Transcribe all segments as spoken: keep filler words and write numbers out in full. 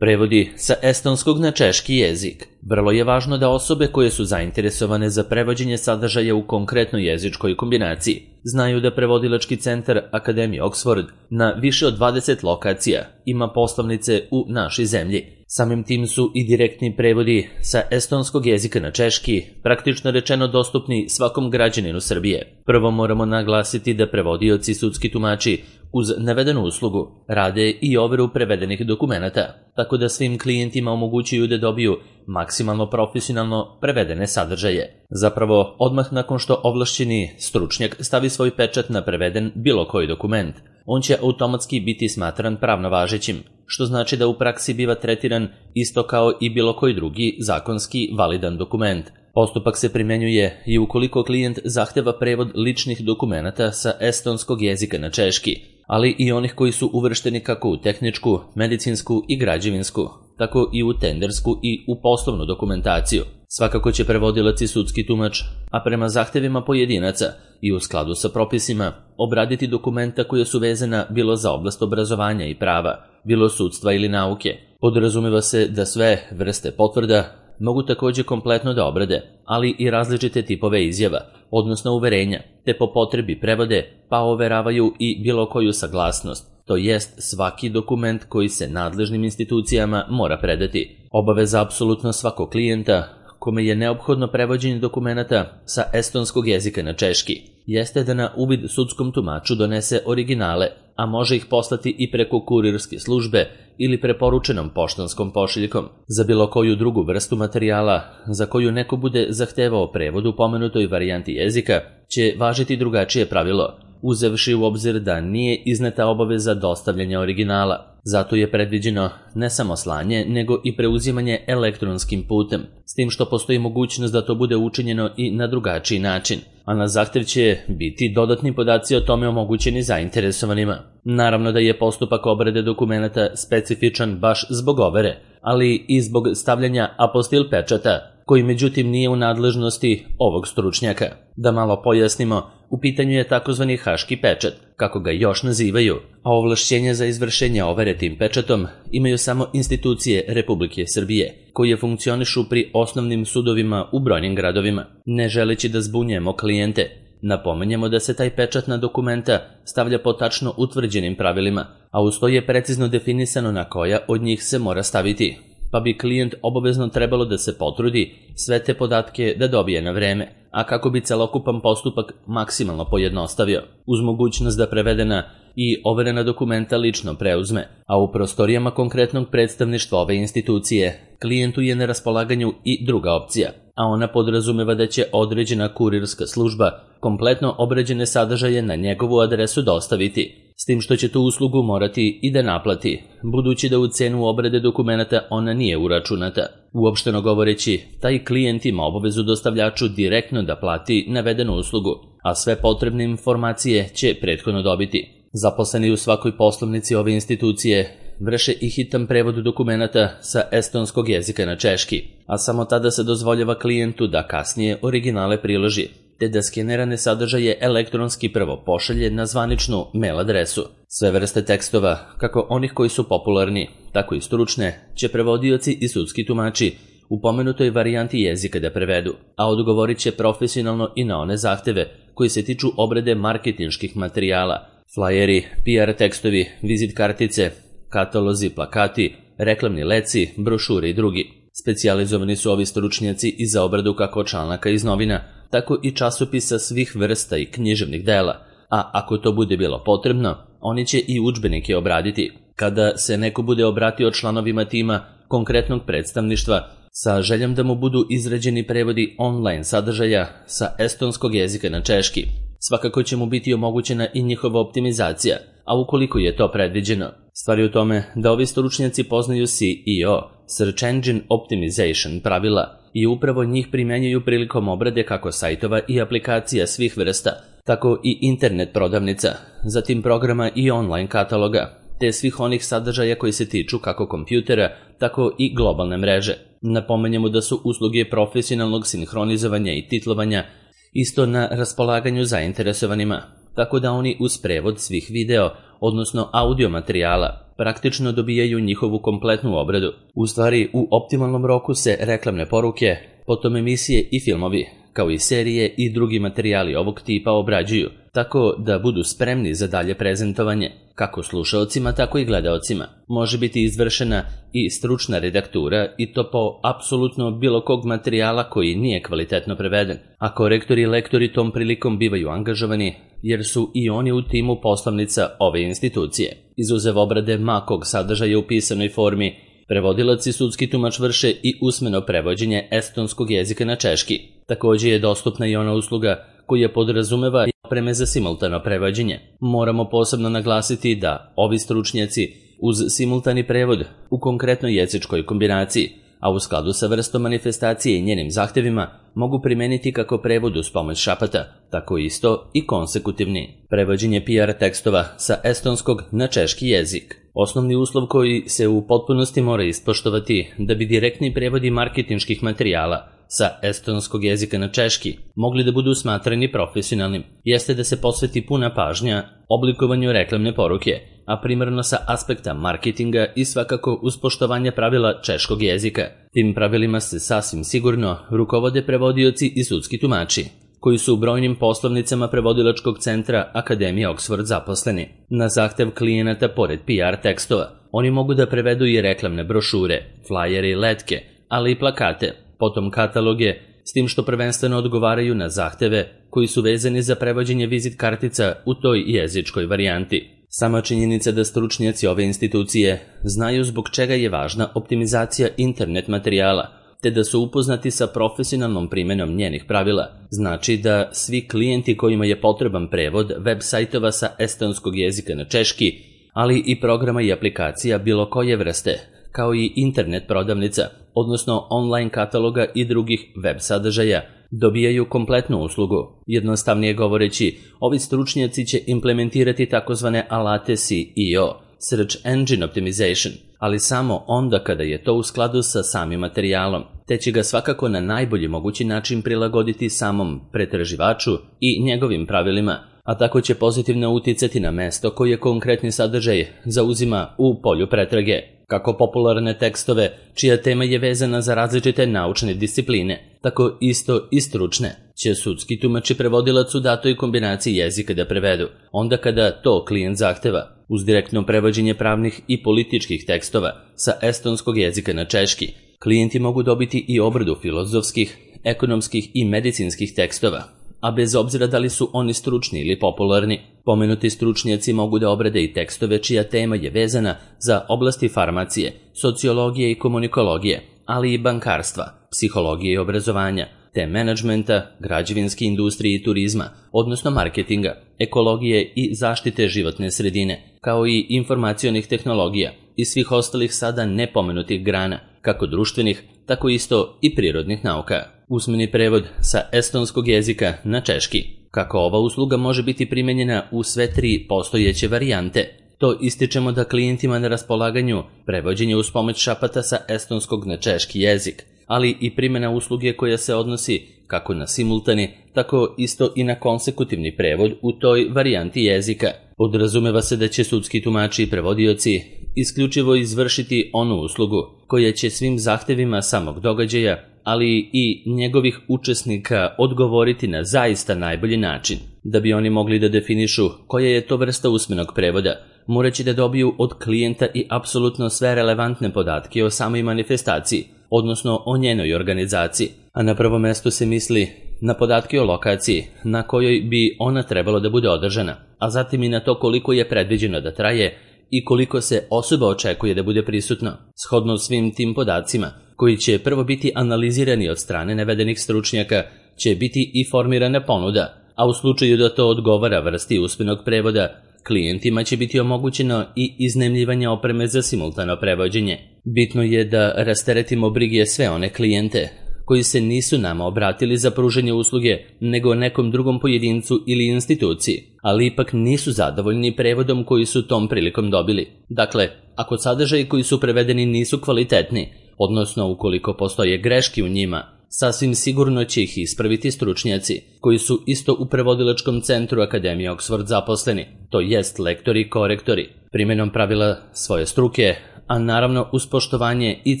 Prevodi sa estonskog na češki jezik. Vrlo je važno da osobe koje su zainteresovane za prevođenje sadržaja u konkretnoj jezičkoj kombinaciji znaju da prevodilački centar Akademije Oxford na više od dvadeset lokacija ima poslovnice u našoj zemlji. Samim tim su i direktni prevodi sa estonskog jezika na češki praktično rečeno dostupni svakom građaninu Srbije. Prvo moramo naglasiti da prevodioci i sudski tumači uz navedenu uslugu rade i overu prevedenih dokumenata, tako da svim klijentima omogućuju da dobiju maksimalno profesionalno prevedene sadržaje. Zapravo, odmah nakon što ovlašćeni stručnjak stavi svoj pečat na preveden bilo koji dokument, on će automatski biti smatran pravno važećim, što znači da u praksi biva tretiran isto kao i bilo koji drugi zakonski validan dokument. Postupak se primenjuje i ukoliko klijent zahteva prevod ličnih dokumenata sa estonskog jezika na češki, ali i onih koji su uvršteni kako u tehničku, medicinsku i građevinsku, tako i u tendersku i u poslovnu dokumentaciju. Svakako će prevodilac i sudski tumač, a prema zahtevima pojedinaca i u skladu sa propisima, obraditi dokumenta koja su vezana bilo za oblast obrazovanja i prava, bilo sudstva ili nauke. Podrazumeva se da sve vrste potvrda mogu također kompletno da obrade, ali i različite tipove izjava, odnosno uverenja, te po potrebi prevode, pa overavaju i bilo koju saglasnost, to jest svaki dokument koji se nadležnim institucijama mora predati. Obaveza apsolutno svakog klijenta kome je neophodno prevođenje dokumenata sa estonskog jezika na češki, jeste da na uvid sudskom tumaču donese originale, a može ih poslati i preko kurirske službe ili preporučenom poštanskom pošiljkom. Za bilo koju drugu vrstu materijala za koju neko bude zahtevao prevod u pomenutoj varijanti jezika će važiti drugačije pravilo, uzevši u obzir da nije izneta obaveza dostavljanja originala. Zato je predviđeno ne samo slanje, nego i preuzimanje elektronskim putem, s tim što postoji mogućnost da to bude učinjeno i na drugačiji način, a na zahtev će biti dodatni podaci o tome omogućeni zainteresovanima. Naravno da je postupak obrade dokumenata specifičan baš zbog overe, ali i zbog stavljanja apostil pečata, koji međutim nije u nadležnosti ovog stručnjaka. Da malo pojasnimo, u pitanju je takozvani haški pečat, kako ga još nazivaju, a ovlašćenja za izvršenje overe tim pečatom imaju samo institucije Republike Srbije, koje funkcionišu pri osnovnim sudovima u brojnim gradovima. Ne želeći da zbunjujemo klijente, napomenjemo da se taj pečat na dokumenta stavlja po tačno utvrđenim pravilima, a uz to je precizno definisano na koja od njih se mora staviti, pa bi klijent obavezno trebalo da se potrudi sve te podatke da dobije na vreme, a kako bi celokupan postupak maksimalno pojednostavio, uz mogućnost da prevedena i overena dokumenta lično preuzme, a u prostorijama konkretnog predstavništva ove institucije klijentu je na raspolaganju i druga opcija, a ona podrazumeva da će određena kurirska služba kompletno obrađene sadržaje na njegovu adresu dostaviti, s tim što će tu uslugu morati i da naplati, budući da u cenu obrade dokumenata ona nije uračunata. Uopšteno govoreći, taj klijent ima obavezu dostavljaču direktno da plati navedenu uslugu, a sve potrebne informacije će prethodno dobiti. Zaposleni u svakoj poslovnici ove institucije vrše i hitan prevod dokumenata sa estonskog jezika na češki, a samo tada se dozvoljava klijentu da kasnije originale priloži, te da skenerane sadržaje elektronski prvo pošalje na zvaničnu mail adresu. Sve vrste tekstova, kako onih koji su popularni, tako i stručne, će prevodioci i sudski tumači u pomenutoj varijanti jezika da prevedu, a odgovorit će profesionalno i na one zahteve koji se tiču obrade marketinških materijala, flajeri, P R tekstovi, vizit kartice, katalozi, plakati, reklamni leci, brošure i drugi. Specijalizovani su ovi stručnjaci i za obradu kako članaka iz novina, tako i časopisa svih vrsta i književnih dela, a ako to bude bilo potrebno, oni će i udžbenike obraditi. Kada se neko bude obratio članovima tima konkretnog predstavništva sa željom da mu budu izrađeni prevodi online sadržaja sa estonskog jezika na češki, svakako će mu biti omogućena i njihova optimizacija, a ukoliko je to predviđeno. Stvar je u tome da ovi stručnjaci poznaju C E O, Search Engine Optimization pravila, i upravo njih primenjuju prilikom obrade kako sajtova i aplikacija svih vrsta, tako i internet prodavnica, zatim programa i online kataloga, te svih onih sadržaja koji se tiču kako kompjutera, tako i globalne mreže. Napomenjemo da su usluge profesionalnog sinhronizovanja i titlovanja isto na raspolaganju zainteresovanima, tako da oni uz prevod svih video, odnosno audio materijala, praktično dobijaju njihovu kompletnu obradu. U stvari, u optimalnom roku se reklamne poruke, potom emisije i filmovi, kao i serije i drugi materijali ovog tipa obrađuju, tako da budu spremni za dalje prezentovanje, kako slušaocima, tako i gledaocima. Može biti izvršena i stručna redaktura i to po apsolutno bilo kog materijala koji nije kvalitetno preveden, a korektori i lektori tom prilikom bivaju angažovani jer su i oni u timu poslovnica ove institucije. Izuzev obrade makog sadržaja u pisanoj formi, prevodilac i sudski tumač vrše i usmeno prevođenje estonskog jezika na češki. Također je dostupna i ona usluga koja podrazumeva i opreme za simultano prevođenje. Moramo posebno naglasiti da ovi stručnjaci uz simultani prevod u konkretnoj jezičkoj kombinaciji, a u skladu sa vrstom manifestacije i njenim zahtevima, mogu primeniti kako prevod uz pomoć šapata, tako isto i konsekutivni. Prevođenje P R tekstova sa estonskog na češki jezik. Osnovni uslov koji se u potpunosti mora ispoštovati da bi direktni prevodi marketinških materijala sa estonskog jezika na češki mogli da budu smatrani profesionalnim, jeste da se posveti puna pažnja oblikovanju reklamne poruke, a primarno sa aspekta marketinga i svakako uz poštovanje pravila češkog jezika. Tim pravilima se sasvim sigurno rukovode prevodioci i sudski tumači, koji su u brojnim poslovnicama prevodilačkog centra Akademije Oxford zaposleni. Na zahtev klijenata pored P R tekstova, oni mogu da prevedu i reklamne brošure, flajere i letke, ali i plakate, potom kataloge, s tim što prvenstveno odgovaraju na zahteve koji su vezani za prevođenje vizit kartica u toj jezičkoj varijanti. Sama činjenica da stručnjaci ove institucije znaju zbog čega je važna optimizacija internet materijala, te da su upoznati sa profesionalnom primjenom njenih pravila, znači da svi klijenti kojima je potreban prevod web sajtova sa estonskog jezika na češki, ali i programa i aplikacija bilo koje vrste, kao i internet prodavnica, odnosno online kataloga i drugih web sadržaja, dobijaju kompletnu uslugu. Jednostavnije govoreći, ovi stručnjaci će implementirati takozvane alate S E O, Search Engine Optimization, ali samo onda kada je to u skladu sa samim materijalom, te će ga svakako na najbolji mogući način prilagoditi samom pretraživaču i njegovim pravilima, a tako će pozitivno uticati na mesto koje konkretni sadržaj zauzima u polju pretrage. Kako popularne tekstove, čija tema je vezana za različite naučne discipline, tako isto i stručne, će sudski tumač i prevodilac u datoj kombinaciji jezika da prevedu, onda kada to klijent zahteva. Uz direktno prevođenje pravnih i političkih tekstova sa estonskog jezika na češki, klijenti mogu dobiti i obradu filozofskih, ekonomskih i medicinskih tekstova, a bez obzira da li su oni stručni ili popularni. Pomenuti stručnjaci mogu da obrade i tekstove čija tema je vezana za oblasti farmacije, sociologije i komunikologije, ali i bankarstva, psihologije i obrazovanja, te menadžmenta, građevinske industrije i turizma, odnosno marketinga, ekologije i zaštite životne sredine, kao i informacionih tehnologija i svih ostalih sada nepomenutih grana, kako društvenih, tako isto i prirodnih nauka. Usmeni prevod sa estonskog jezika na češki. Kako ova usluga može biti primenjena u sve tri postojeće varijante, to ističemo da klijentima na raspolaganju prevođenje uz pomoć šapata sa estonskog na češki jezik, ali i primjena usluge koja se odnosi kako na simultani, tako isto i na konsekutivni prevod u toj varijanti jezika. Podrazumeva se da će sudski tumači i prevodioci isključivo izvršiti onu uslugu koja će svim zahtevima samog događaja, ali i njegovih učesnika odgovoriti na zaista najbolji način. Da bi oni mogli da definišu koja je to vrsta usmenog prevoda, moraće da dobiju od klijenta i apsolutno sve relevantne podatke o samoj manifestaciji, odnosno o njenoj organizaciji, a na prvo mesto se misli na podatke o lokaciji na kojoj bi ona trebalo da bude održana, a zatim i na to koliko je predviđeno da traje i koliko se osoba očekuje da bude prisutno. Shodno svim tim podacima, koji će prvo biti analizirani od strane navedenih stručnjaka, će biti i formirana ponuda, a u slučaju da to odgovara vrsti usmenog prevoda, klijentima će biti omogućeno i iznajmljivanje opreme za simultano prevođenje. Bitno je da rasteretimo brige sve one klijente koji se nisu nama obratili za pružanje usluge nego nekom drugom pojedincu ili instituciji, ali ipak nisu zadovoljni prevodom koji su tom prilikom dobili. Dakle, ako sadržaji koji su prevedeni nisu kvalitetni, odnosno ukoliko postoje greške u njima, Sasvim sigurno će ih ispraviti stručnjaci, koji su isto u prevodilačkom centru Akademije Oxford zaposleni, to jest lektori i korektori, primjenom pravila svoje struke, a naravno uz poštovanje i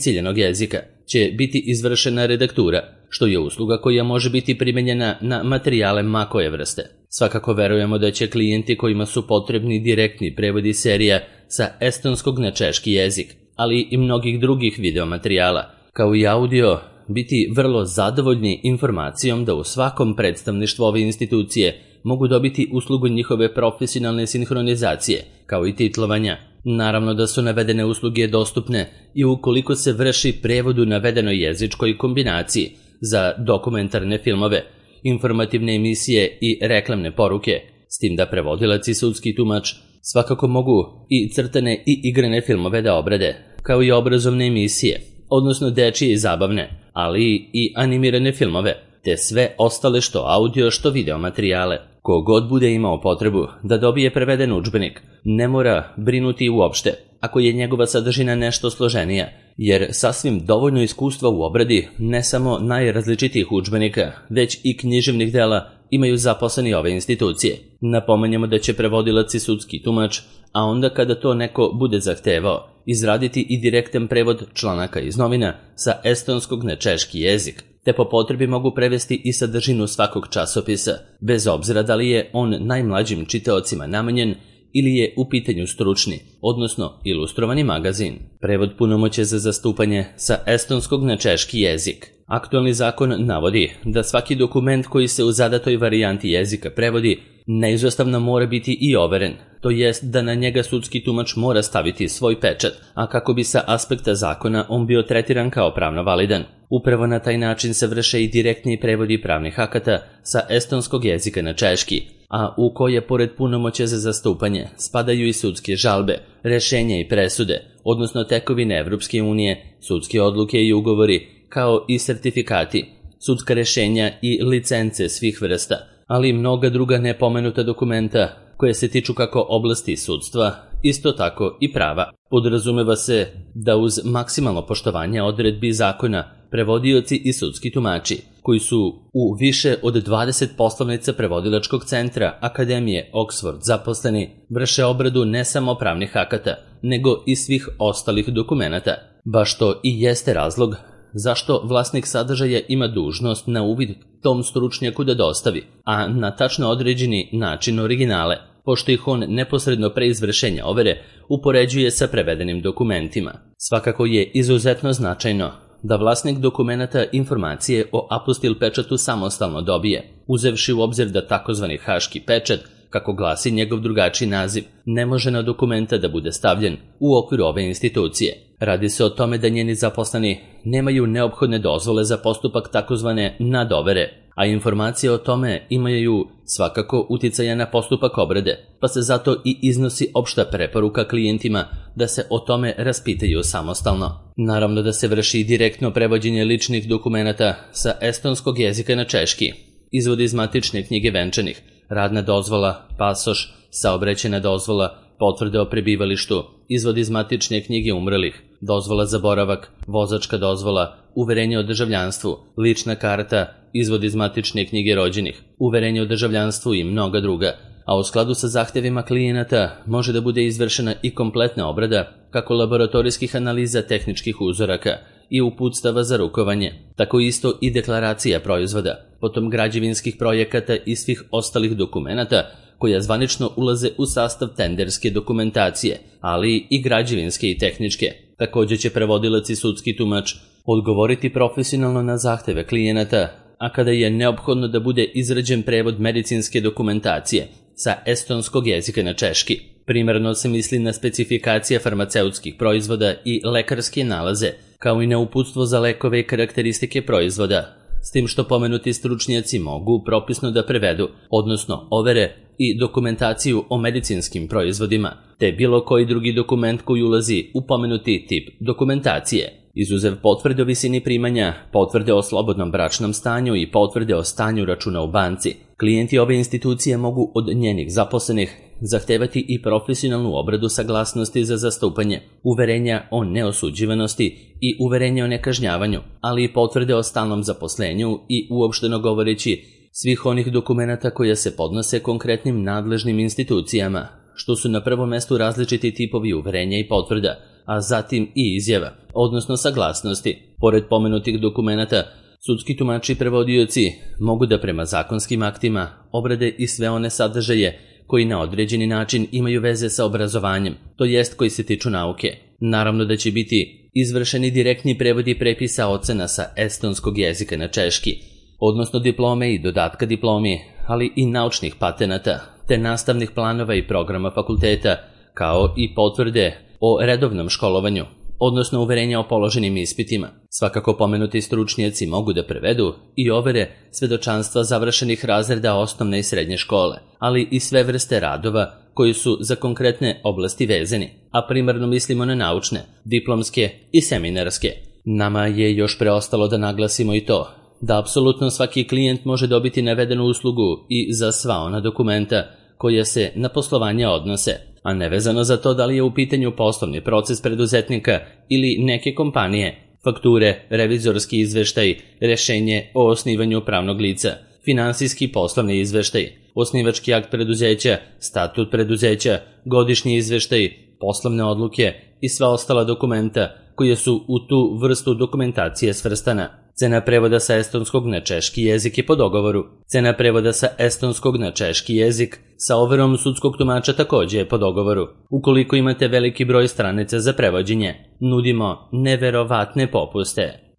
ciljenog jezika, će biti izvršena redaktura, što je usluga koja može biti primenjena na materijale ma koje vrste. Svakako verujemo da će klijenti kojima su potrebni direktni prevodi serija sa estonskog na češki jezik, ali i mnogih drugih videomaterijala, kao i audio, biti vrlo zadovoljni informacijom da u svakom predstavništvu ove institucije mogu dobiti uslugu njihove profesionalne sinhronizacije, kao i titlovanja. Naravno da su navedene usluge dostupne i ukoliko se vrši prevod u navedenoj jezičkoj kombinaciji za dokumentarne filmove, informativne emisije i reklamne poruke, s tim da prevodilac i sudski tumač svakako mogu i crtane i igrane filmove da obrade, kao i obrazovne emisije, odnosno dečije i zabavne, ali i animirane filmove, te sve ostale što audio što video materijale. Kogod bude imao potrebu da dobije preveden udžbenik, ne mora brinuti uopšte ako je njegova sadržina nešto složenija, jer sasvim dovoljno iskustva u obradi ne samo najrazličitijih udžbenika, već i književnih dela imaju zaposleni ove institucije. Napomenjamo da će prevodilac i sudski tumač, a onda kada to neko bude zahtevao, izraditi i direktan prevod članaka iz novina sa estonskog na češki jezik, te po potrebi mogu prevesti i sadržinu svakog časopisa, bez obzira da li je on najmlađim čitaocima namenjen ili je u pitanju stručni, odnosno ilustrovani magazin. Prevod punomoćja za zastupanje sa estonskog na češki jezik. Aktualni zakon navodi da svaki dokument koji se u zadatoj varijanti jezika prevodi neizostavno mora biti i overen, to jest da na njega sudski tumač mora staviti svoj pečat, a kako bi sa aspekta zakona on bio tretiran kao pravno validan. Upravo na taj način se vrše i direktni prevodi pravnih akata sa estonskog jezika na češki, a u koje pored punomoćja za zastupanje spadaju i sudske žalbe, rešenja i presude, odnosno tekovine Evropske unije, sudske odluke i ugovori, kao i sertifikati, sudska rešenja i licence svih vrsta, ali i mnoga druga nepomenuta dokumenta koje se tiču kako oblasti sudstva, isto tako i prava. Podrazumeva se da uz maksimalno poštovanje odredbi zakona prevodioci i sudski tumači, koji su u više od dvadeset poslovnica prevodilačkog centra Akademije Oxford zaposleni, vrše obradu ne samo pravnih akata, nego i svih ostalih dokumenata. Baš to i jeste razlog zašto vlasnik sadržaja ima dužnost na uvid tom stručnjaku da dostavi, a na tačno određeni način originale, pošto ih on neposredno pre izvršenja overe upoređuje sa prevedenim dokumentima. Svakako je izuzetno značajno da vlasnik dokumenata informacije o apostil pečatu samostalno dobije, uzevši u obzir da takozvani haški pečat, kako glasi njegov drugačiji naziv, ne može na dokumenta da bude stavljen u okviru ove institucije. Radi se o tome da njeni zaposleni nemaju neophodne dozvole za postupak takozvane nadovere, a informacije o tome imaju svakako uticaja na postupak obrade, pa se zato i iznosi opšta preporuka klijentima da se o tome raspitaju samostalno. Naravno da se vrši direktno prevođenje ličnih dokumenata sa estonskog jezika na češki, izvod iz matične knjige venčanih, radna dozvola, pasoš, saobraćajna dozvola, potvrde o prebivalištu, izvod iz matične knjige umrlih, dozvola za boravak, vozačka dozvola, uverenje o državljanstvu, lična karta, izvod iz matične knjige rođenih, uverenje o državljanstvu i mnoga druga, a u skladu sa zahtevima klijenata može da bude izvršena i kompletna obrada kako laboratorijskih analiza tehničkih uzoraka i uputstava za rukovanje, tako isto i deklaracija proizvoda, potom građevinskih projekata i svih ostalih dokumenata koja zvanično ulaze u sastav tenderske dokumentacije, ali i građevinske i tehničke. Također će prevodilac i sudski tumač odgovoriti profesionalno na zahteve klijenata, a kada je neophodno da bude izrađen prevod medicinske dokumentacije sa estonskog jezika na češki. Primarno se misli na specifikacije farmaceutskih proizvoda i lekarske nalaze, kao i na uputstvo za lekove i karakteristike proizvoda, s tim što pomenuti stručnjaci mogu propisno da prevedu, odnosno overe i dokumentaciju o medicinskim proizvodima, te bilo koji drugi dokument koji ulazi u pomenuti tip dokumentacije. Izuzev potvrde o visini primanja, potvrde o slobodnom bračnom stanju i potvrde o stanju računa u banci, klijenti ove institucije mogu od njenih zaposlenih zahtevati i profesionalnu obradu saglasnosti za zastupanje, uverenja o neosuđivanosti i uverenja o nekažnjavanju, ali i potvrde o stalnom zaposlenju i, uopšteno govoreći, svih onih dokumenata koja se podnose konkretnim nadležnim institucijama, što su na prvom mestu različiti tipovi uverenja i potvrda, a zatim i izjava, odnosno saglasnosti. Pored pomenutih dokumenata, sudski tumači i prevodioci mogu da prema zakonskim aktima obrade i sve one sadržaje koji na određeni način imaju veze sa obrazovanjem, to jest koji se tiču nauke. Naravno da će biti izvršeni direktni prevodi prepisa ocena sa estonskog jezika na češki, odnosno diplome i dodatka diplomi, ali i naučnih patenata, te nastavnih planova i programa fakulteta, kao i potvrde o redovnom školovanju, odnosno uverenja o položenim ispitima. Svakako pomenuti stručnjaci mogu da prevedu i overe svedočanstva završenih razreda osnovne i srednje škole, ali i sve vrste radova koji su za konkretne oblasti vezani, a primarno mislimo na naučne, diplomske i seminarske. Nama je još preostalo da naglasimo i to da apsolutno svaki klijent može dobiti navedenu uslugu i za sva ona dokumenta koja se na poslovanje odnose, a nevezano za to da li je u pitanju poslovni proces preduzetnika ili neke kompanije, fakture, revizorski izveštaj, rešenje o osnivanju pravnog lica, finansijski poslovni izveštaj, osnivački akt preduzeća, statut preduzeća, godišnji izveštaj, poslovne odluke i sva ostala dokumenta koje su u tu vrstu dokumentacije svrstana. Cena prevoda sa estonskog na češki jezik je po dogovoru. Cena prevoda sa estonskog na češki jezik sa overom sudskog tumača takođe je po dogovoru. Ukoliko imate veliki broj stranica za prevođenje, nudimo neverovatne popuste.